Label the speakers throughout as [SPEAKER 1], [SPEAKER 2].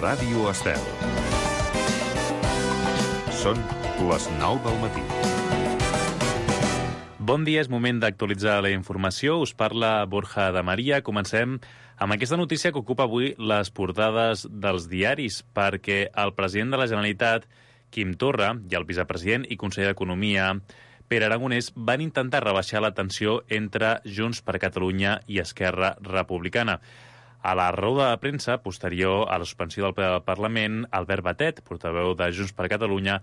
[SPEAKER 1] Ràdio Estel. Són les 9 del matí.
[SPEAKER 2] Bon dia, és moment d'actualitzar la informació. Us parla Borja de Maria. Comencem amb aquesta notícia que ocupa avui les portades dels diaris, perquè el president de la Generalitat, Quim Torra, i el vicepresident i conseller d'Economia, Pere Aragonès, van intentar rebaixar la tensió entre Junts per Catalunya i Esquerra Republicana. A la roda de premsa, posterior a la suspensió del ple del Parlament, Albert Batet, portaveu de Junts per Catalunya,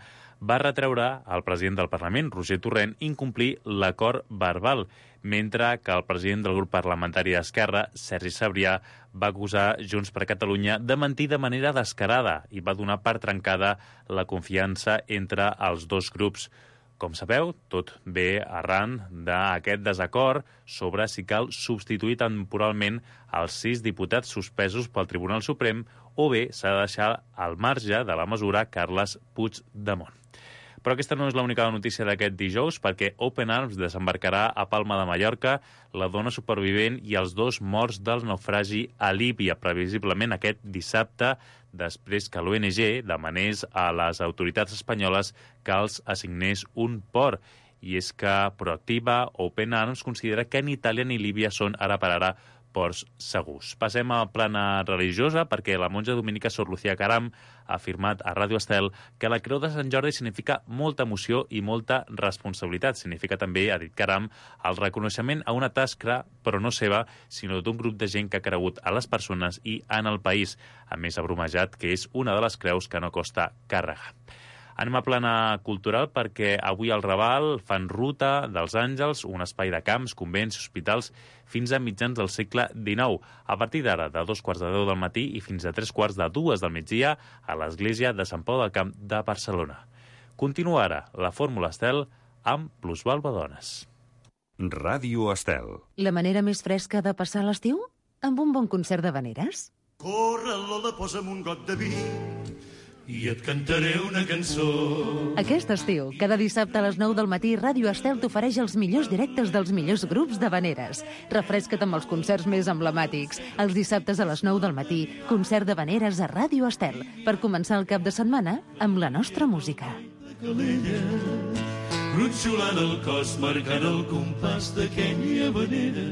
[SPEAKER 2] va retreure al president del Parlament, Roger Torrent, incomplir l'acord verbal, mentre que el president del grup parlamentari d'Esquerra, Sergi Sabrià, va acusar Junts per Catalunya de mentir de manera descarada i va donar per trencada la confiança entre els dos grups. Com sabeu, tot ve arran d'aquest desacord sobre si cal substituir temporalment els 6 diputats suspesos pel Tribunal Suprem o bé s'ha de deixar al marge de la mesura Carles Puigdemont. Però aquesta no és l'única notícia d'aquest dijous, perquè Open Arms desembarcarà a Palma de Mallorca la dona supervivent i els 2 morts del naufragi a Líbia, previsiblement aquest dissabte, després que l'ONG demanés a les autoritats espanyoles que els assignés un port. I és que Proactiva Open Arms considera que ni Itàlia ni Líbia són ara per ara ports segurs. Passem a plana religiosa, perquè la monja dominica Sor Lucía Caram ha afirmat a Ràdio Estel que la Creu de Sant Jordi significa molta emoció i molta responsabilitat. Significa també, ha dit Caram, el reconeixement a una tasca, però no seva, sinó d'un grup de gent que ha cregut a les persones i en el país. A més, ha bromejat que és una de les creus que no costa càrrega. Anem a plana cultural perquè avui al Raval fan Ruta dels Àngels, un espai de camps, convents i hospitals fins a mitjans del segle XIX. A partir d'ara, de 2:15 del matí i fins a 2:45 del migdia, a l'església de Sant Pau del Camp de Barcelona. Continua ara la Fórmula Estel amb Plusvalua Dones.
[SPEAKER 1] Ràdio Estel.
[SPEAKER 3] La manera més fresca de passar l'estiu? Amb un bon concert d'havaneres?
[SPEAKER 4] Corre, Lola, posa'm un got de vi i et cantaré una cançó.
[SPEAKER 3] Aquest estiu, cada dissabte a les 9 del matí, Ràdio Estel t'ofereix els millors directes dels millors grups d'havaneres. Refresca't amb els concerts més emblemàtics. Els dissabtes a les 9 del matí, concert d'havaneres a Ràdio Estel, per començar el cap de setmana amb la nostra música.
[SPEAKER 4] Calella, gronxolant el cos, marcant el compàs d'aquella havanera.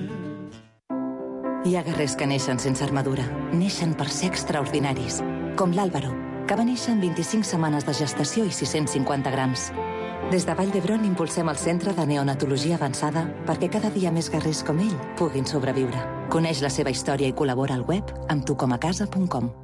[SPEAKER 5] Hi ha guerrers que neixen sense armadura. Neixen per ser extraordinaris. Com l'Àlvaro, que va néixer en 25 setmanes de gestació i 650 grams. Des de Vall d'Hebron impulsem el Centre de Neonatologia Avançada perquè cada dia més guerrers com ell puguin sobreviure. Coneix la seva història i col·labora al web amb tucomacasa.com.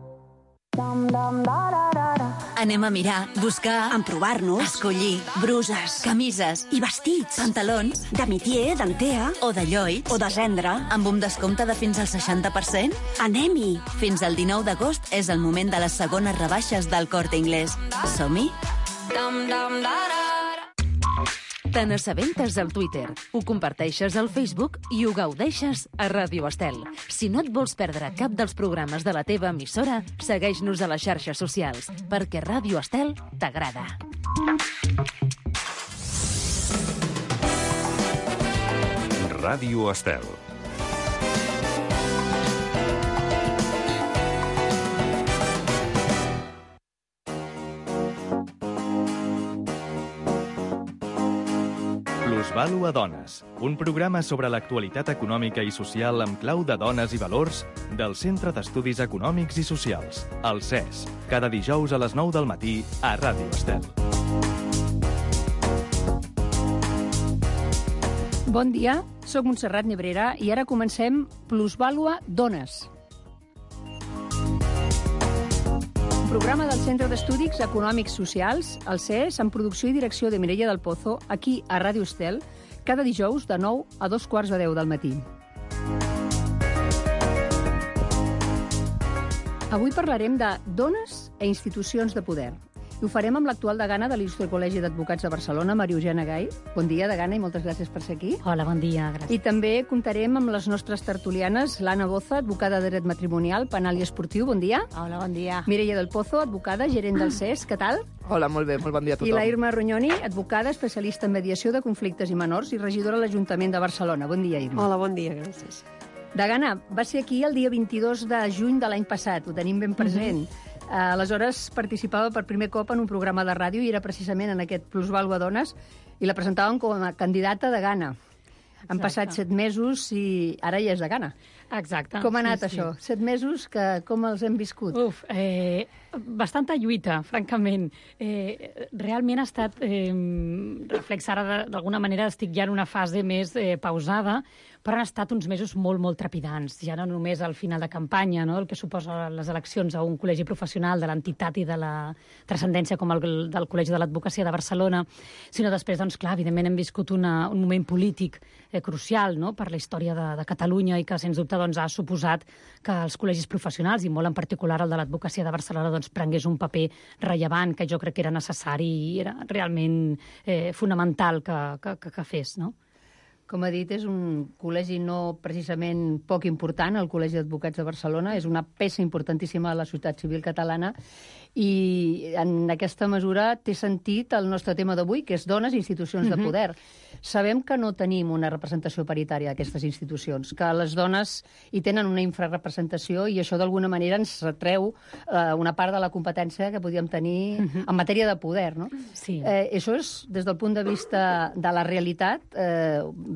[SPEAKER 6] Anem a mirar, buscar,
[SPEAKER 7] emprovar-nos,
[SPEAKER 6] escollir bruses, camises
[SPEAKER 7] i vestits,
[SPEAKER 6] pantalons
[SPEAKER 7] de mitier, d'antea
[SPEAKER 6] o de lloits
[SPEAKER 7] o de gendre,
[SPEAKER 6] amb un descompte de fins al 60%.
[SPEAKER 7] Anem-hi!
[SPEAKER 6] Fins al 19 d'agost és el moment de les segones rebaixes del Corte Inglés. Som-hi?
[SPEAKER 3] Te n'assabentes al Twitter, ho comparteixes al Facebook i ho gaudeixes a Ràdio Estel. Si no et vols perdre cap dels programes de la teva emissora, segueix-nos a les xarxes socials, perquè Ràdio Estel t'agrada.
[SPEAKER 1] Ràdio Estel.
[SPEAKER 8] Plusvalua Dones, un programa sobre l'actualitat econòmica i social amb clau de dones i valors del Centre d'Estudis Econòmics i Socials, el CES, cada dijous a les 9 del matí a Ràdio Estel.
[SPEAKER 9] Bon dia, sóc Montserrat Nebrera i ara comencem Plusvalua Dones. Un programa del Centre d'Estudis Econòmics Socials, el CES, amb producció i direcció de Mireia del Pozo, aquí a Ràdio Estel, cada dijous de 9 a 2:15 del matí. Avui parlarem de dones e institucions de poder. I ho farem amb l'actual degana de l'Il·lustre Col·legi d'Advocats de Barcelona, Maria Eugènia Gai. Bon dia, degana, i moltes gràcies per ser aquí.
[SPEAKER 10] Hola, bon dia, gràcies.
[SPEAKER 9] I també comptarem amb les nostres tertulianes, l'Anna Boza, advocada de dret matrimonial, penal i esportiu. Bon dia.
[SPEAKER 10] Hola, bon dia.
[SPEAKER 9] Mireia del Pozo, advocada, gerent del CES. Què tal?
[SPEAKER 11] Hola, molt bé, molt bon dia a tothom.
[SPEAKER 9] I la Irma Rognoni, advocada, especialista en mediació de conflictes i menors i regidora a l'Ajuntament de Barcelona. Bon dia, Irma.
[SPEAKER 12] Hola, bon dia, gràcies.
[SPEAKER 9] Degana, va ser aquí el dia 22 de juny de l'any passat, ho tenim ben present. Aleshores participava per primer cop en un programa de ràdio i era precisament en aquest Plusvàlua Dones i la presentaven com a candidata de Ghana. Han passat 7 mesos i ara ja és de Ghana.
[SPEAKER 10] Exacte.
[SPEAKER 9] Com ha anat això? 7 mesos, com els hem viscut?
[SPEAKER 10] Bastanta lluita, francament. Realment ha estat reflex ara, d'alguna manera estic ja en una fase més pausada, però han estat uns mesos molt, molt trepidants. Ja no només al final de campanya, no? El que suposa les eleccions a un col·legi professional de l'entitat i de la transcendència com el del Col·legi de l'Advocacia de Barcelona, sinó després, doncs, clar, evidentment hem viscut un moment polític crucial, no?, per la història de Catalunya i que, sens dubte, doncs, ha suposat que els col·legis professionals, i molt en particular el de l'Advocacia de Barcelona, doncs, prengués un paper rellevant que jo crec que era necessari i era realment fonamental que fes, no?
[SPEAKER 9] Com ha dit, és un col·legi no precisament poc important, el Col·legi d'Advocats de Barcelona, és una peça importantíssima de la societat civil catalana i en aquesta mesura té sentit el nostre tema d'avui, que és dones i institucions de poder. Sabem que no tenim una representació paritària d'aquestes institucions, que les dones hi tenen una infrarrepresentació i això d'alguna manera ens retreu una part de la competència que podíem tenir en matèria de poder, no?
[SPEAKER 10] Sí.
[SPEAKER 9] Això és, des del punt de vista de la realitat,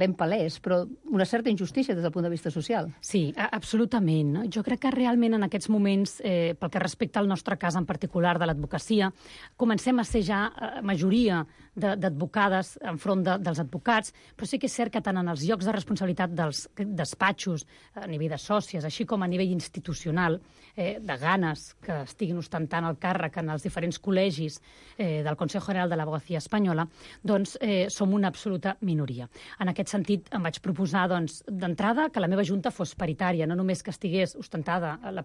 [SPEAKER 9] ben palès, però una certa injustícia des del punt de vista social.
[SPEAKER 10] Sí, absolutament. Jo crec que realment en aquests moments, pel que respecta al nostre cas en particular de l'advocacia, comencem a ser ja majoria d'advocades enfront dels advocats, però sí que és cert que tant en els llocs de responsabilitat dels despatxos, a nivell de sòcies, així com a nivell institucional, de ganes que estiguin ostentant el càrrec en els diferents col·legis del Consejo General de l'Abogacía Espanyola, doncs som una absoluta minoria. En aquest sentit, em vaig proposar, doncs, d'entrada, que la meva junta fos paritària, no només que estigués ostentada el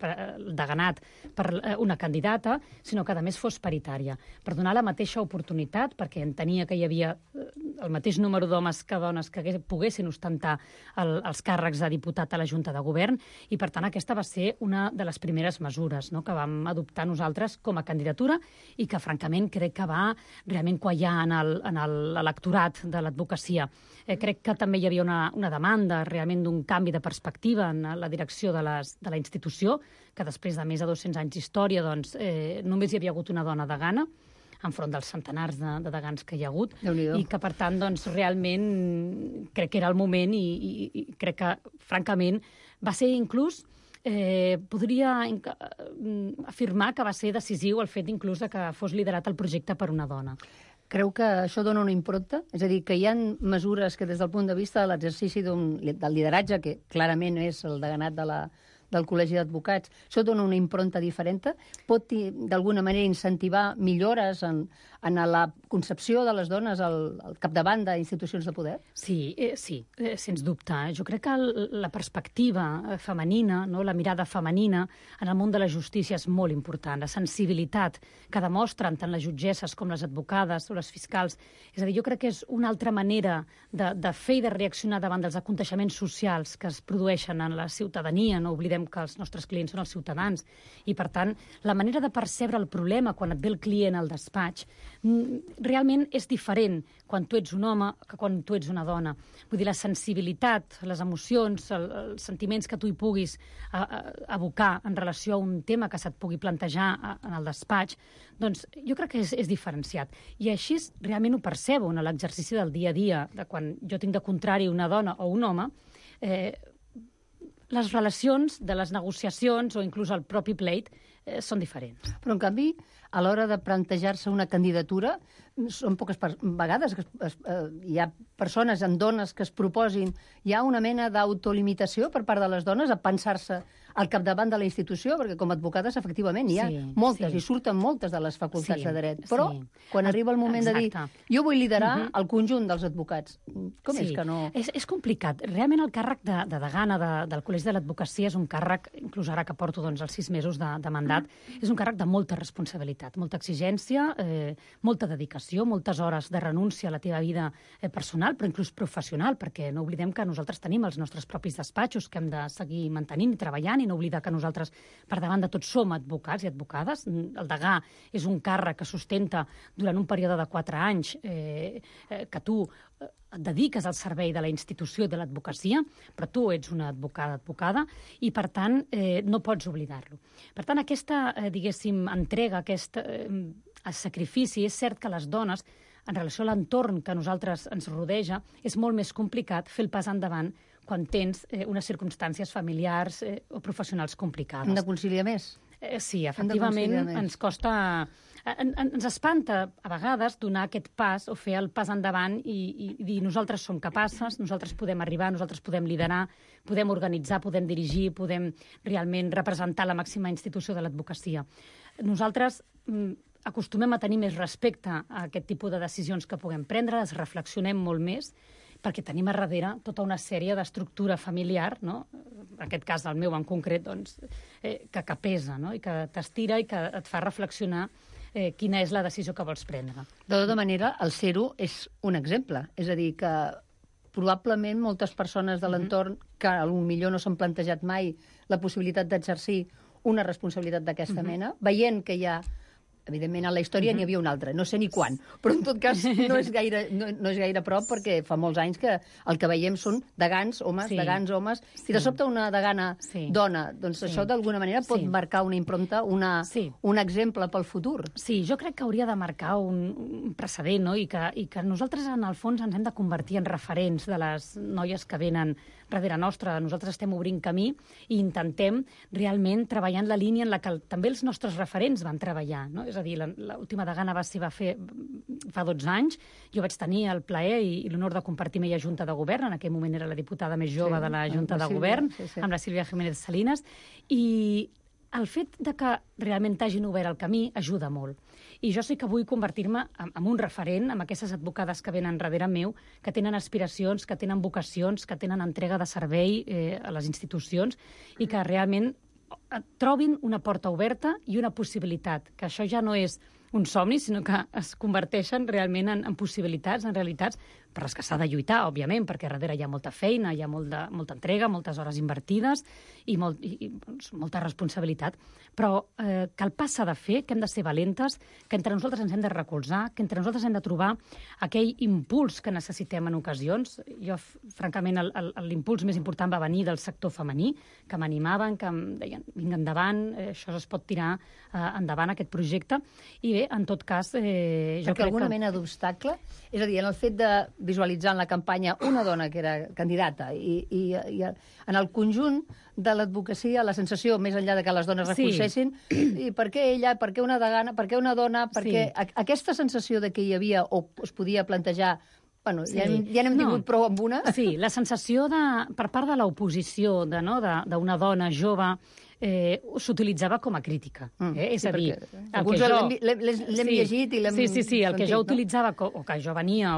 [SPEAKER 10] deganat per una candidata, sinó que, a més, fos paritària, per donar la mateixa oportunitat, perquè entenia que hi havia el mateix número d'homes que dones que poguessin ostentar els càrrecs de diputat a la Junta de Govern, i, per tant, aquesta va ser una de les primeres mesures, no?, que vam adoptar nosaltres com a candidatura i que, francament, crec que va realment quallar en l'electorat de l'advocacia. Crec que també hi havia una demanda realment d'un canvi de perspectiva en la direcció de la institució, que després de més de 200 anys d'història doncs, només hi havia hagut una dona degana, enfront dels centenars de degans que hi ha hagut, i que, per tant, doncs, realment crec que era el moment i crec que, francament, va ser inclús podria afirmar que va ser decisiu el fet inclús de que fos liderat el projecte per una dona.
[SPEAKER 9] Creu que això dona una impronta? És a dir, que hi ha mesures que des del punt de vista de l'exercici del lideratge, que clarament és el deganat del Col·legi d'Advocats, això dona una impronta diferent? Pot, d'alguna manera, incentivar millores en la concepció de les dones al capdavant d'institucions de poder?
[SPEAKER 10] Sí, sens dubte. Jo crec que la perspectiva femenina, no, la mirada femenina en el món de la justícia és molt important. La sensibilitat que demostren tant les jutgesses com les advocades o les fiscals. És a dir, jo crec que és una altra manera de fer i de reaccionar davant dels aconteixements socials que es produeixen en la ciutadania. No oblidem que els nostres clients són els ciutadans i, per tant, la manera de percebre el problema quan et ve el client al despatx realment és diferent quan tu ets un home que quan tu ets una dona. Vull dir, la sensibilitat, les emocions, els sentiments que tu hi puguis abocar en relació a un tema que se't pugui plantejar en el despatx, doncs jo crec que és diferenciat. I així realment ho percebo en l'exercici del dia a dia, de quan jo tinc de contrari una dona o un home, les relacions de les negociacions o inclús el propi pleit són diferents.
[SPEAKER 9] Però, en canvi, a l'hora de plantejar-se una candidatura, són poques vegades que hi ha persones en dones que es proposin, hi ha una mena d'autolimitació per part de les dones a pensar-se al capdavant de la institució, perquè com a advocades, efectivament, hi ha moltes, i surten moltes de les facultats de dret. Però, quan arriba el moment de dir jo vull liderar el conjunt dels advocats, com és que no?
[SPEAKER 10] És complicat. Realment el càrrec de degana del Col·legi de l'Advocacia és un càrrec, inclús ara que porto els 6 mesos de mandat, és un càrrec de molta responsabilitat, molta exigència, molta dedicació, moltes hores de renúncia a la teva vida personal, però inclús professional, perquè no oblidem que nosaltres tenim els nostres propis despatxos que hem de seguir mantenint i treballant, i no oblidar que nosaltres, per davant de tot, som advocats i advocades. El degà és un càrrec que sustenta durant un període de 4 anys que tu et dediques al servei de la institució i de l'advocacia, però tu ets una advocada, i per tant no pots oblidar-lo. Per tant, aquesta, diguéssim, entrega, aquest sacrifici, és cert que les dones, en relació a l'entorn que a nosaltres ens rodeja, és molt més complicat fer el pas endavant quan tens unes circumstàncies familiars o professionals complicades.
[SPEAKER 9] Hem de conciliar més?
[SPEAKER 10] Sí, efectivament, ens costa... Ens espanta, a vegades, donar aquest pas o fer el pas endavant i dir nosaltres som capaces, nosaltres podem arribar, nosaltres podem liderar, podem organitzar, podem dirigir, podem realment representar la màxima institució de l'advocacia. Nosaltres acostumem a tenir més respecte a aquest tipus de decisions que puguem prendre, les reflexionem molt més, perquè tenim a darrere tota una sèrie d'estructura familiar, no? En aquest cas, el meu en concret, doncs, que pesa, no? I que t'estira i que et fa reflexionar quina és la decisió que vols prendre.
[SPEAKER 9] De tota manera, el ser-ho és un exemple. És a dir, que probablement moltes persones de l'entorn que potser no s'han plantejat mai la possibilitat d'exercir una responsabilitat d'aquesta mena, veient que hi ha... Evidentment, a la història n'hi havia una altra, no sé ni quan, però en tot cas no és gaire prop, perquè fa molts anys que el que veiem són degans homes, i de sobte una degana dona, doncs això d'alguna manera pot marcar una impronta, un exemple pel futur.
[SPEAKER 10] Sí, jo crec que hauria de marcar un precedent, no? I que nosaltres, en el fons, ens hem de convertir en referents de les noies que venen darrere nostra. Nosaltres estem obrint camí i intentem realment treballar en la línia en la que també els nostres referents van treballar, no? És a dir, l'última degana va fer fa 12 anys. Jo vaig tenir el plaer i l'honor de compartir amb ella Junta de Govern. En aquell moment era la diputada més jove de la Junta de Govern, amb la Sílvia Jiménez Salinas. I el fet de que realment t'hagin obert el camí ajuda molt. I jo sí que vull convertir-me en un referent, amb aquestes advocades que venen darrere meu, que tenen aspiracions, que tenen vocacions, que tenen entrega de servei a les institucions i que realment trobin una porta oberta i una possibilitat, que això ja no és un somni, sinó que es converteixen realment en possibilitats, en realitats, per les que s'ha de lluitar, òbviament, perquè darrere hi ha molta feina, hi ha molta entrega, moltes hores invertides i molta responsabilitat, però que el pas s'ha de fer, que hem de ser valentes, que entre nosaltres ens hem de recolzar, que entre nosaltres hem de trobar aquell impuls que necessitem en ocasions. Jo, francament, l'impuls més important va venir del sector femení, que m'animaven, que em deien, vinga endavant, això es pot tirar endavant, aquest projecte, i bé, en tot cas...
[SPEAKER 9] Perquè alguna mena d'obstacle, és a dir, en el fet de visualitzar en la campanya una dona que era candidata i en el conjunt de l'advocacia la sensació, més enllà de que les dones recolzessin, i per què ella, per què una degana, per què una dona, perquè aquesta sensació de que hi havia o es podia plantejar. Bueno, ja n'hem tingut prou amb una.
[SPEAKER 10] Sí, la sensació per part de l'oposició d'una dona jove s'utilitzava com a crítica. És a dir,
[SPEAKER 9] l'hem llegit i l'hem sentit.
[SPEAKER 10] Sí, el que jo utilitzava, o que jo venia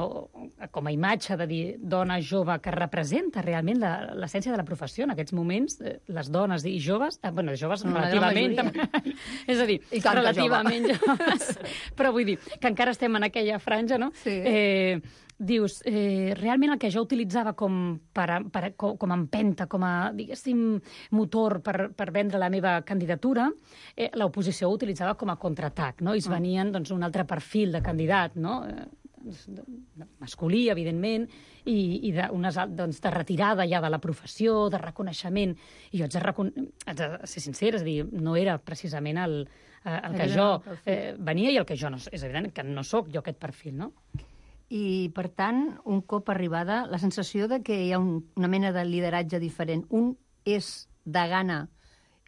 [SPEAKER 10] com a imatge de dir dona jove que representa realment l'essència de la professió en aquests moments, les dones i joves, bueno, joves relativament, és a dir, relativament joves, però vull dir que encara estem en aquella franja, no? Dius, realment el que jo utilitzava com empenta, com a, diguéssim, motor per vendre la meva candidatura, l'oposició ho utilitzava com a contraatac, no? I es venien un altre perfil de candidat, no? Masculí, evidentment, i de retirada ja de la professió, de reconeixement. I jo haig de ser sincera, és a dir, no era precisament el que jo venia i el que jo no... És evident que no sóc jo aquest perfil, no?
[SPEAKER 9] I, per tant, un cop arribada, la sensació de que hi ha una mena de lideratge diferent. Un és degana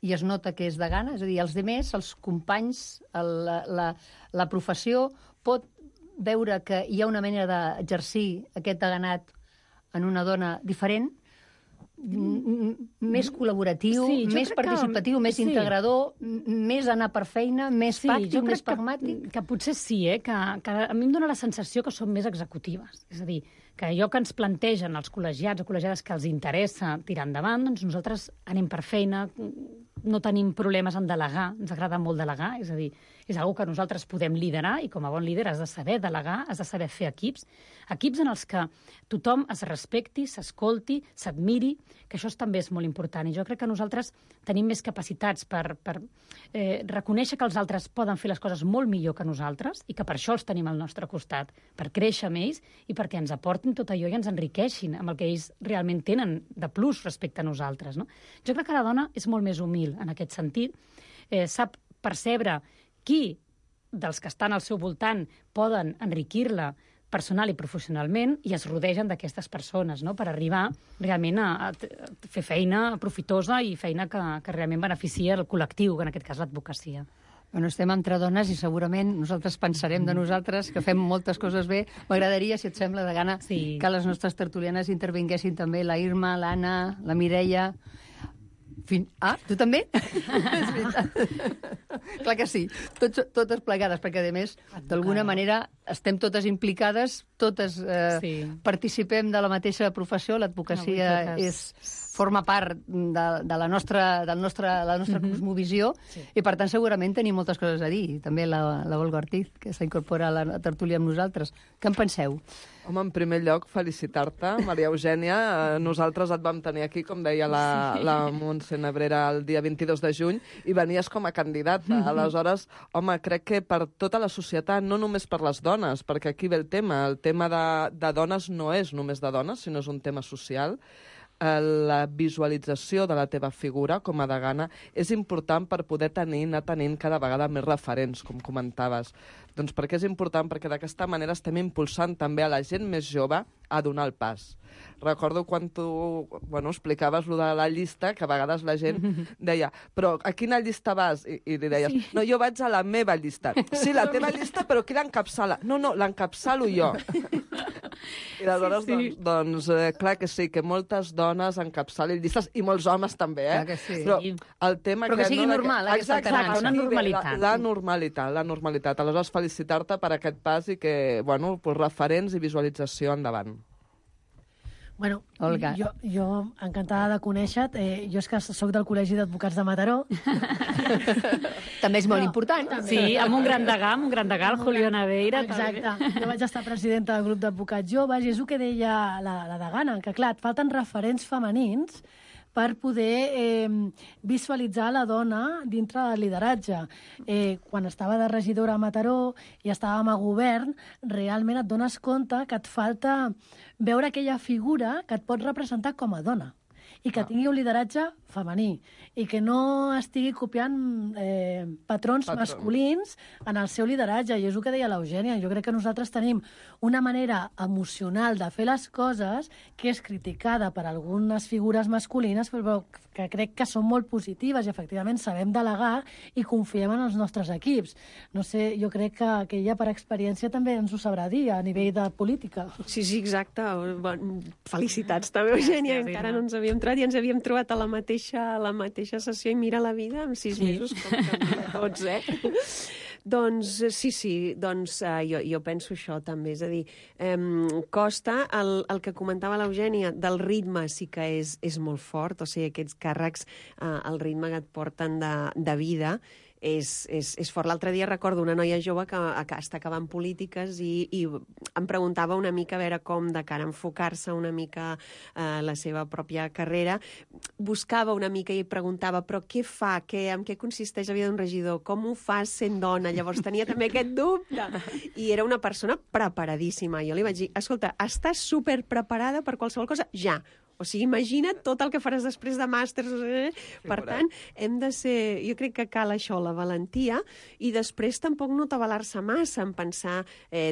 [SPEAKER 9] i es nota que és degana, és a dir, els demés, els companys, la professió, pot veure que hi ha una manera d'exercir aquest deganat en una dona diferent, més col·laboratiu, més participatiu, més integrador, més anar per feina, més pràctic, més pragmàtic.
[SPEAKER 10] Que potser sí, que a mi em dóna la sensació que són més executives. És a dir, que allò que ens plantegen els col·legiats o col·legiades que els interessa tirar endavant, doncs nosaltres anem per feina, no tenim problemes en delegar, ens agrada molt delegar, és a dir, és una que nosaltres podem liderar i com a bon líder has de saber delegar, has de saber fer equips en els que tothom es respecti, s'escolti, s'admiri, que això també és molt important. I jo crec que nosaltres tenim més capacitats per reconèixer que els altres poden fer les coses molt millor que nosaltres i que per això els tenim al nostre costat, per créixer amb ells i perquè ens aportin tot allò i ens enriqueixin amb el que ells realment tenen de plus respecte a nosaltres. No? Jo crec que la dona és molt més humil en aquest sentit, sap percebre qui dels que estan al seu voltant poden enriquir-la personal i professionalment i es rodegen d'aquestes persones, no? Per arribar realment a fer feina profitosa i feina que realment beneficia el col·lectiu, que en aquest cas l'advocacia.
[SPEAKER 9] Bueno, estem entre dones i segurament nosaltres pensarem de nosaltres que fem moltes coses bé. M'agradaria, si et sembla, de gana, que les nostres tertulianes intervinguessin també, la Irma, l'Anna, la Mireia... tu també? És veritat. Clar que sí, totes plegades, perquè a més, d'alguna manera, estem totes implicades, totes participem de la mateixa professió, l'advocacia forma part de la nostra cosmovisió i, per tant, segurament tenim moltes coses a dir. També la Olga Ortiz, que s'incorpora a la tertúlia amb nosaltres. Què en penseu?
[SPEAKER 11] Home, en primer lloc, felicitar-te, Maria Eugènia. Nosaltres et vam tenir aquí, com deia la Montse Nebrera, el dia 22 de juny, i venies com a candidata. Aleshores, home, crec que per tota la societat, no només per les dones, perquè aquí ve el tema de dones no és només de dones, sinó és un tema social. La visualització de la teva figura com a degana és important per poder anar tenint cada vegada més referents, com comentaves. Doncs per què és important? Perquè d'aquesta manera estem impulsant també a la gent més jove a donar el pas. Recordo quan tu explicaves lo de la llista, que a vegades la gent deia, però a quina llista vas? I li deies, no, jo vaig a la meva llista. Sí, la teva llista, però qui l'encapçala? No, l'encapçalo jo. I aleshores, doncs, clar que sí, que moltes dones encapçalin llistes, i molts homes també,
[SPEAKER 9] Clar que sí.
[SPEAKER 11] Però el tema...
[SPEAKER 9] Però que sigui normal, aquesta alternança.
[SPEAKER 10] Una normalitat.
[SPEAKER 11] La normalitat. Aleshores, felicitar-te per aquest pas i que, bueno, referents i visualització endavant.
[SPEAKER 12] Bueno,
[SPEAKER 9] Olga.
[SPEAKER 12] Jo encantada de conèixer-te. Jo és que soc del Col·legi d'Advocats de Mataró.
[SPEAKER 9] També és molt important.
[SPEAKER 10] Sí, amb un gran degà, el Julio Naveira.
[SPEAKER 12] Exacte. Jo vaig estar presidenta del grup d'advocats joves i és el que deia la degana, que clar, et falten referents femenins per poder visualitzar la dona dintre del lideratge. Quan estava de regidora a Mataró i estàvem a govern, realment et dones compte que et falta veure aquella figura que et pot representar com a dona i que tingui un lideratge femení i que no estigui copiant patrons masculins en el seu lideratge. I és el que deia l'Eugènia. Jo crec que nosaltres tenim una manera emocional de fer les coses que és criticada per algunes figures masculines, però que crec que són molt positives i efectivament sabem delegar i confiem en els nostres equips. No sé, jo crec que ella per experiència també ens ho sabrà dir a nivell de política.
[SPEAKER 13] Sí, exacte. Felicitats també, Eugènia. Encara no ens havíem trobat i ens havíem trobat a la mateixa sessió i mira la vida en 6 mesos com canvia tots, Doncs sí, jo penso això també, és a dir, costa el que comentava l'Eugènia, del ritme sí que és molt fort, o sigui, aquests càrrecs, el ritme que et porten de vida, és fort. L'altre dia recordo una noia jove que està acabant polítiques i em preguntava una mica a veure com de cara a enfocar-se una mica la seva pròpia carrera. Buscava una mica i preguntava però què fa, en què consisteix la vida d'un regidor, com ho fas sent dona? Llavors tenia també aquest dubte. I era una persona preparadíssima. Jo li vaig dir, escolta, estàs superpreparada per qualsevol cosa? Ja. O sigui, imagina't tot el que faràs després de màsters. Per tant, hem de ser... Jo crec que cal això, la valentia, i després tampoc no atabalar-se massa en pensar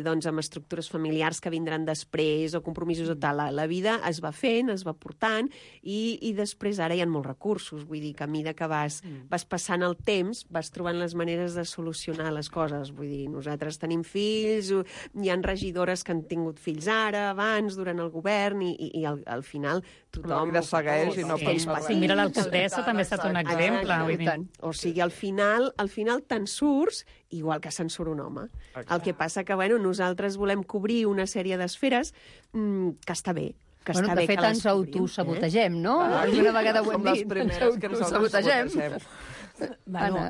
[SPEAKER 13] doncs, en estructures familiars que vindran després o compromisos o tal. La vida es va fent, es va portant, i després ara hi ha molts recursos. Vull dir que a mesura que vas passant el temps, vas trobant les maneres de solucionar les coses. Vull dir, nosaltres tenim fills, hi ha regidores que han tingut fills ara, abans, durant el govern, i al final tothom...
[SPEAKER 11] La vida segueix i no passa res.
[SPEAKER 10] Sí, mira, l'alcaldessa també ha estat un exemple.
[SPEAKER 13] O sigui, al final te'n surts igual que se'n surt un home. El que passa que, nosaltres volem cobrir una sèrie d'esferes que està bé.
[SPEAKER 7] que
[SPEAKER 9] bueno,
[SPEAKER 7] està bé
[SPEAKER 9] de fet,
[SPEAKER 7] que
[SPEAKER 9] ens autosabotegem, no? Alguna vegada ho hem dit.
[SPEAKER 11] Som les primeres que ens autosabotegem.
[SPEAKER 7] Bueno,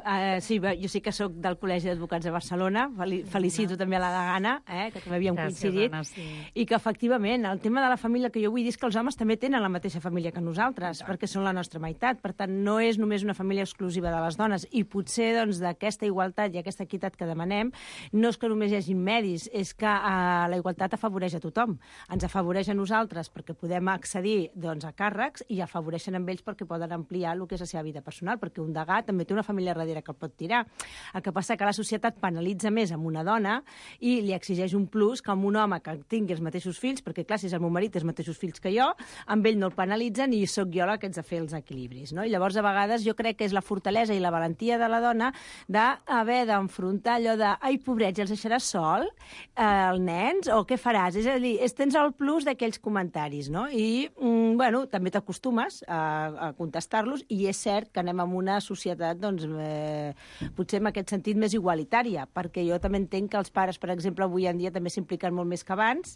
[SPEAKER 7] sí, jo sí que sóc del Col·legi d'Advocats de Barcelona, felicito també a la Degana, que també havíem coincidit,
[SPEAKER 10] Anna, sí.
[SPEAKER 7] i que efectivament el tema de la família que jo vull dir és que els homes també tenen la mateixa família que nosaltres, perquè són la nostra meitat, per tant no és només una família exclusiva de les dones, i potser doncs, d'aquesta igualtat i aquesta equitat que demanem no és que només hi hagi medis, és que la igualtat afavoreix a tothom, ens afavoreix a nosaltres perquè podem accedir doncs, a càrrecs i afavoreixen amb ells perquè poden ampliar el que és la seva vida personal, perquè un degà també té una família darrere que el pot tirar. El que passa que la societat penalitza més amb una dona i li exigeix un plus que amb un home que tingui els mateixos fills, perquè clar, si és el meu marit té els mateixos fills que jo, amb ell no el penalitzen i sóc jo la que haig de fer els equilibris. No? I llavors, a vegades, jo crec que és la fortalesa i la valentia de la dona d'haver d'enfrontar allò de ai, pobrets, els deixaràs sol, els nens, o què faràs? És a dir, tens el plus d'aquells comentaris, no? I, bueno, també t'acostumes a contestar-los i és cert que anem en una societat, doncs, potser en aquest sentit més igualitària, perquè jo també entenc que els pares, per exemple, avui en dia també s'impliquen molt més que abans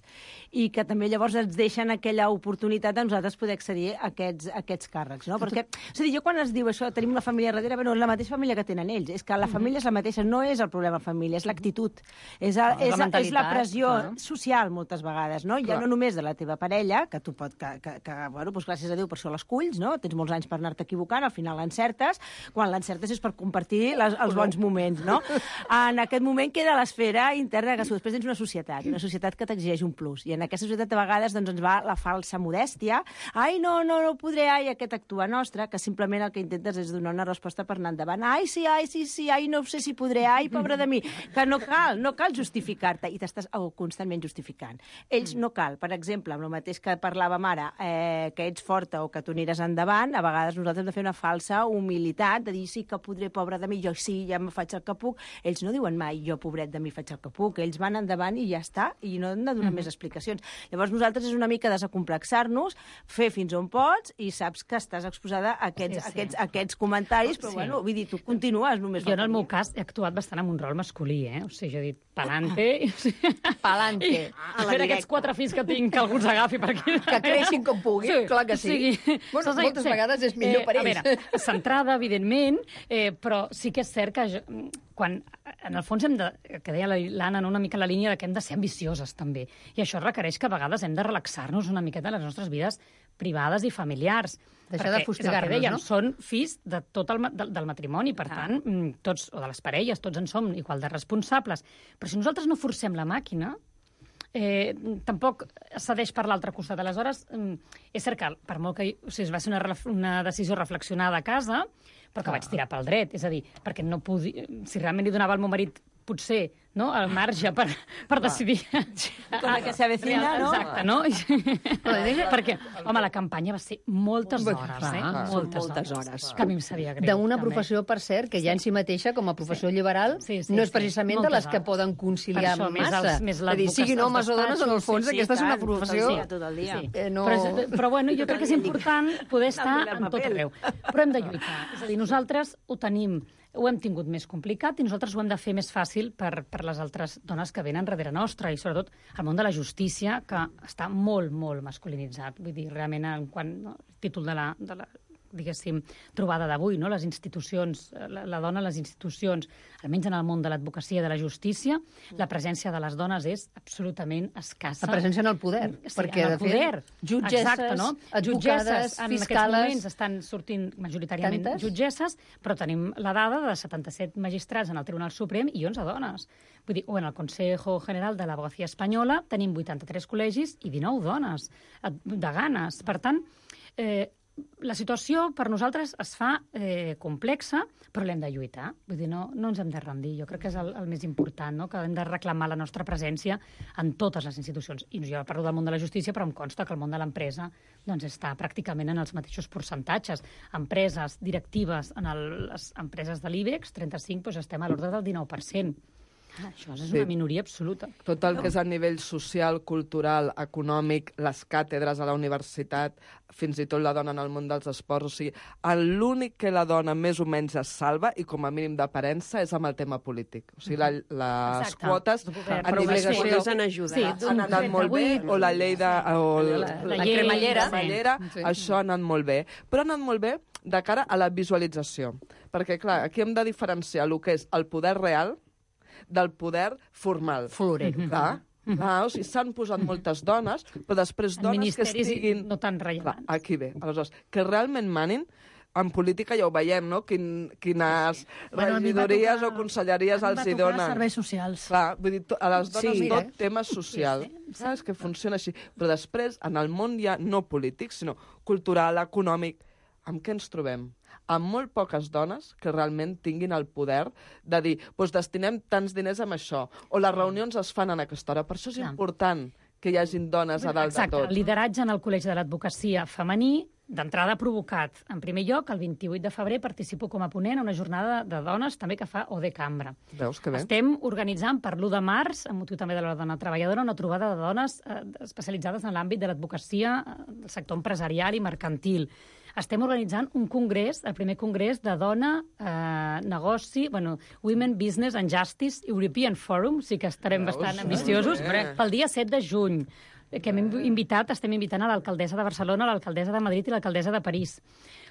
[SPEAKER 7] i que també llavors ens deixen aquella oportunitat de nosaltres poder accedir a aquests càrrecs, no? Perquè, és a dir, jo quan es diu això, tenim la família darrere, bueno, és la mateixa família que tenen ells, és que la família és la mateixa, no és el problema família, és l'actitud, és la pressió social moltes vegades, no? Ja no només de la teva parella, que tu pot, bueno, doncs gràcies a Déu per això l'esculls, no? Tens molts anys per anar-te equivocant, al final l'encertes, quan l'encertes és per compartir els bons moments, no? En aquest moment queda l'esfera interna, que després tens una societat que t'exigeix un plus, i en aquesta societat a vegades doncs, ens va la falsa modèstia, ai, no podré, ai, aquest actua nostra, que simplement el que intentes és donar una resposta per anar endavant, ai, sí, ai, no sé si podré, ai, pobre de mi, que no cal justificar-te, i t'estàs constantment justificant. Ells no cal, per exemple, amb el mateix que parlàvem ara, que ets forta o que tu aniràs endavant, a vegades nosaltres hem de fer una falsa humilitat, de dir, sí que podré, pobre de mi, jo sí, ja me faig el que puc. Ells no diuen mai, jo, pobret de mi, faig el que puc. Ells van endavant i ja està, i no hem de donar més explicacions. Llavors, nosaltres és una mica desacomplexar-nos, fer fins on pots, i saps que estàs exposada a aquests comentaris, però, bueno, vull dir, tu continues només.
[SPEAKER 10] Jo, en el meu cas, he actuat bastant amb un rol masculí, O sigui, jo he dit, pa'lante.
[SPEAKER 9] Pa'lante.
[SPEAKER 10] A veure, aquests 4 fills que tinc, que algú els agafi per aquí.
[SPEAKER 9] Que creixin com puguin, clar que sí. Bueno, moltes vegades és millor per ells.
[SPEAKER 10] A veure, centrada, evidentment, però sí que és cert que quan, en el fons, que deia l'Anna, una mica la línia de que hem de ser ambicioses, també. I això requereix que a vegades hem de relaxar-nos una miqueta de les nostres vides privades i familiars.
[SPEAKER 9] Deixar de fustigar-nos,
[SPEAKER 10] no? Són fills de tot del matrimoni, per tant, tots, o de les parelles, tots en som igual de responsables. Però si nosaltres no forcem la màquina, tampoc cedeix per l'altre costat. Aleshores, és cert que, per molt que es va ser una decisió reflexionada a casa, però que vaig tirar pel dret. És a dir, perquè no podia... Si realment li donava al meu marit, potser, no?, el marge per decidir...
[SPEAKER 7] Com que s'avecina, no?
[SPEAKER 10] Exacte, no? Perquè, home, la campanya va ser moltes hores, Moltes hores. Que a mi em sabia greu.
[SPEAKER 9] D'una professió, per cert, que ja en si mateixa, com a professió liberal, no és precisament de les que poden conciliar massa. És a dir, siguin homes o dones, en el fons, aquesta és una professió...
[SPEAKER 10] Però, bueno, jo crec que és important poder estar en tot arreu. Però hem de lluitar. És a dir, nosaltres ho hem tingut més complicat i nosaltres ho hem de fer més fàcil per les altres dones que venen darrere nostra i, sobretot, el món de la justícia, que està molt, molt masculinitzat. Vull dir, realment, quan el títol de la diguéssim, trobada d'avui, no? Les institucions, la dona a les institucions, almenys en el món de l'advocacia i de la justícia, la presència de les dones és absolutament escassa.
[SPEAKER 9] La presència en el poder.
[SPEAKER 10] Perquè, en el poder.
[SPEAKER 9] Jutgesses, advocades,
[SPEAKER 10] en
[SPEAKER 9] fiscales...
[SPEAKER 10] aquests moments estan sortint majoritàriament jutgesses, però tenim la dada de 77 magistrats en el Tribunal Suprem i 11 dones. Vull dir, en el Consejo General de l'Abogacía Espanyola tenim 83 col·legis i 19 dones, deganes. Per tant, la situació per nosaltres es fa complexa, però l'hem de lluitar. Vull dir, no ens hem de rendir. Jo crec que és el més important, no? Que hem de reclamar la nostra presència en totes les institucions. I jo parlo del món de la justícia, però em consta que el món de l'empresa doncs, està pràcticament en els mateixos percentatges. Empreses directives en les empreses de l'IBEX 35 doncs, estem a l'ordre del 19%. Això és una minoria absoluta.
[SPEAKER 11] Tot el que és a nivell social, cultural, econòmic, les càtedres a la universitat, fins i tot la dona en el món dels esports, o sigui, l'únic que la dona més o menys es salva, i com a mínim d'aparença, és amb el tema polític. O sigui, les quotes
[SPEAKER 13] a nivell han ajudat.
[SPEAKER 11] Han anat molt bé, o la llei de...
[SPEAKER 9] La cremallera.
[SPEAKER 11] Això ha anat molt bé. Però ha anat molt bé de cara a la visualització. Perquè, clar, aquí hem de diferenciar el que és el poder real del poder formal.
[SPEAKER 9] Florero.
[SPEAKER 11] O sigui, s'han posat moltes dones, però després dones que estiguin...
[SPEAKER 10] no tan rellevants.
[SPEAKER 11] Aquí ve. Aleshores, que realment manin, en política ja ho veiem, no? Quines regidories o conselleries els hi donen.
[SPEAKER 12] Serveis socials.
[SPEAKER 11] Clar, vull dir, a les dones tot tema social. Saps que funciona així? Però després, en el món ja no polític, sinó cultural, econòmic, amb què ens trobem? Amb molt poques dones que realment tinguin el poder de dir, doncs destinem tants diners amb això, o les reunions es fan en aquesta hora. Per això és important que hi hagin dones a dalt de tot.
[SPEAKER 10] Exacte, el lideratge en el Col·legi de l'Advocacia femení, d'entrada provocat. En primer lloc, el 28 de febrer participo com a ponent a una jornada de dones també que fa OD Cambra.
[SPEAKER 11] Veus que bé?
[SPEAKER 10] Estem organitzant per l'1 de març, amb motiu també de la dona treballadora, una trobada de dones especialitzades en l'àmbit de l'advocacia, del sector empresarial i mercantil. Estem organitzant un congrés, el primer congrés de dona, negoci, Women Business and Justice European Forum, sí que estarem bastant ambiciosos, pel dia 7 de juny, que estem invitant a l'alcaldessa de Barcelona, l'alcaldessa de Madrid i l'alcaldessa de París.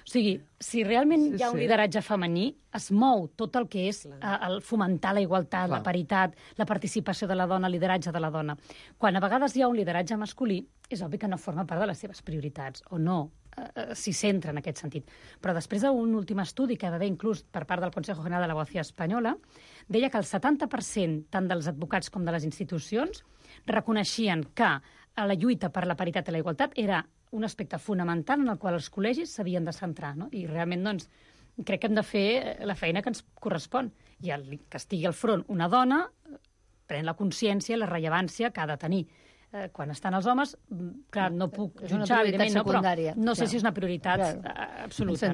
[SPEAKER 10] O sigui, si realment hi ha un lideratge femení, es mou tot el que és el fomentar la igualtat, la paritat, la participació de la dona, el lideratge de la dona. Quan a vegades hi ha un lideratge masculí, és obvi que no forma part de les seves prioritats, o no s'hi centra en aquest sentit. Però després d'un últim estudi que va haver inclús per part del Consejo General de l'Abogacía Espanyola, deia que el 70% tant dels advocats com de les institucions reconeixien que la lluita per la paritat i la igualtat era un aspecte fonamental en el qual els col·legis s'havien de centrar, no? I realment, doncs, crec que hem de fer la feina que ens correspon. I que estigui al front una dona pren la consciència i la rellevància que ha de tenir. Quan estan els homes, clar, no puc jutjar, evidentment, però no sé si és una prioritat absoluta.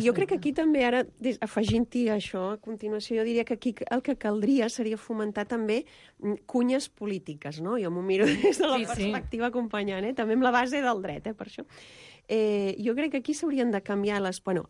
[SPEAKER 13] Jo crec que aquí també, ara, afegint-hi això, a continuació, jo diria que aquí el que caldria seria fomentar també cunyes polítiques, no? Jo m'ho miro des de la perspectiva acompanyant, també amb la base del dret, per això. Jo crec que aquí s'haurien de canviar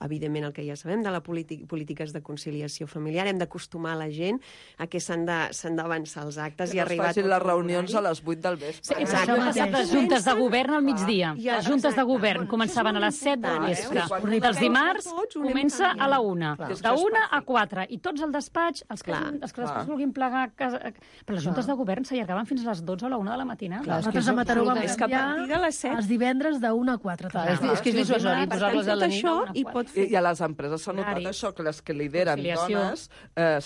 [SPEAKER 13] evidentment el que ja sabem de les polítiques de conciliació familiar, hem d'acostumar la gent a que s'han d'avançar els actes i arribar...
[SPEAKER 11] Que no es facin les reunions a les 8 del vespre.
[SPEAKER 10] Això ha passat les juntes de govern al migdia. Les juntes de govern començaven a les 7 del vespre. Els dimarts comença a la 1. De 1 a 4. I tots al despatx, els que després vulguin plegar... Però les juntes de govern s'allargaven fins a les 12 o la 1 de la matinada.
[SPEAKER 12] Nosaltres a Mataró vam canviar els divendres de 1 a 4.
[SPEAKER 9] És que és dissuasori posar-los a la nit.
[SPEAKER 11] I a les empreses s'ha notat això, que les que lideren dones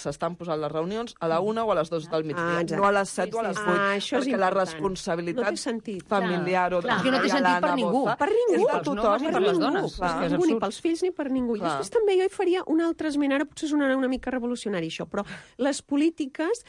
[SPEAKER 11] s'estan posant les reunions a la 1 o a les 2 del migdia, no a les 7 o a les 8, perquè la responsabilitat familiar o de
[SPEAKER 9] no té sentit per ningú.
[SPEAKER 13] Per ningú.
[SPEAKER 11] És de tothom.
[SPEAKER 9] Per les dones.
[SPEAKER 13] Ni pels fills ni per ningú. I després també jo hi faria un altre esment, ara potser sonarà una mica revolucionari això, però les polítiques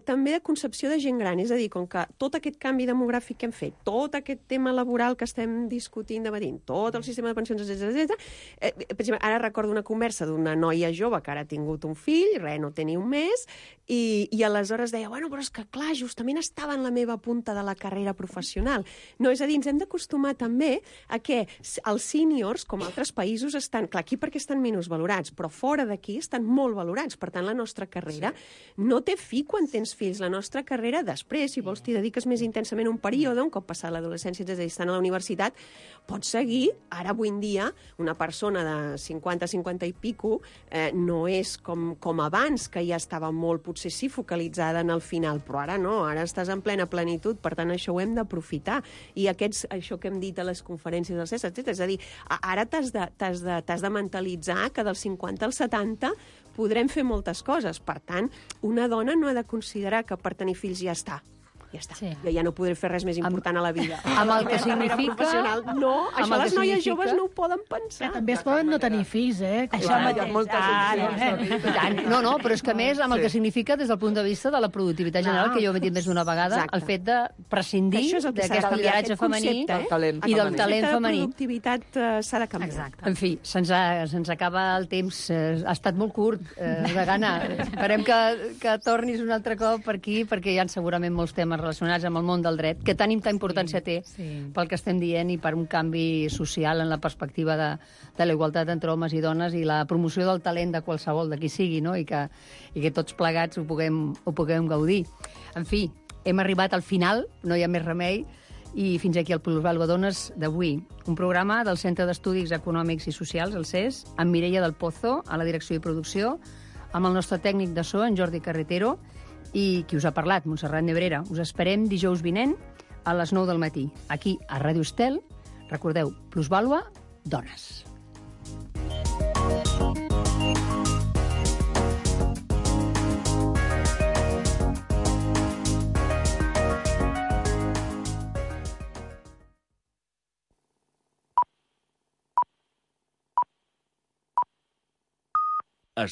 [SPEAKER 13] també de concepció de gent gran, és a dir, com que tot aquest canvi demogràfic que hem fet, tot aquest tema laboral que estem discutint, debatint, tot el sistema de pensions, etc. Per exemple, ara recordo una conversa d'una noia jove que ara ha tingut un fill, no té ni un mes, i aleshores deia, però és que clar, justament estava en la meva punta de la carrera professional. No, és a dir, ens hem d'acostumar també a que els sèniors, com altres països, estan, clar, aquí perquè estan menys valorats, però fora d'aquí estan molt valorats. Per tant, la nostra carrera no té fi quan tens fills. La nostra carrera, després, si vols, t'hi dediques més intensament un període, un cop passat l'adolescència, és a dir, estan a la universitat, pots seguir. Ara, avui en dia, una persona de 50 i pico no és com abans, que ja estava molt, potser sí, focalitzada en el final, però ara no, ara estàs en plena plenitud, per tant, això ho hem d'aprofitar. I això que hem dit a les conferències del CES, etc. És a dir, ara t'has de mentalitzar que dels 50 als 70 podrem fer moltes coses. Per tant, una dona no ha de considerar que per tenir fills ja està. ja està. Jo ja no podré fer res més important a la vida.
[SPEAKER 9] Amb el que significa...
[SPEAKER 13] No, això les noies joves no ho poden pensar.
[SPEAKER 12] També es poden no tenir fills,
[SPEAKER 7] Això mateix.
[SPEAKER 9] No, però és que a més, amb el que significa des del punt de vista de la productivitat general, que jo he dit més d'una vegada, el fet de prescindir d'aquest lideratge femení i del talent femení.
[SPEAKER 13] La productivitat s'ha de canviar.
[SPEAKER 9] En fi, se'ns acaba el temps. Ha estat molt curt, Degana. Esperem que tornis un altre cop per aquí, perquè hi ha segurament molts temes relacionats amb el món del dret, que tanta importància té pel que estem dient i per un canvi social en la perspectiva de la igualtat entre homes i dones i la promoció del talent de qualsevol, de qui sigui, no? I que tots plegats ho puguem gaudir. En fi, hem arribat al final, no hi ha més remei, i fins aquí el Plusvàlua Dones d'avui. Un programa del Centre d'Estudis Econòmics i Socials, el CES, amb Mireia del Pozo, a la direcció i producció, amb el nostre tècnic de so, en Jordi Carretero, i qui us ha parlat, Montserrat Nebrera. Us esperem dijous vinent a les 9 del matí, aquí a Ràdio Estel. Recordeu, Plusvàlua Dones.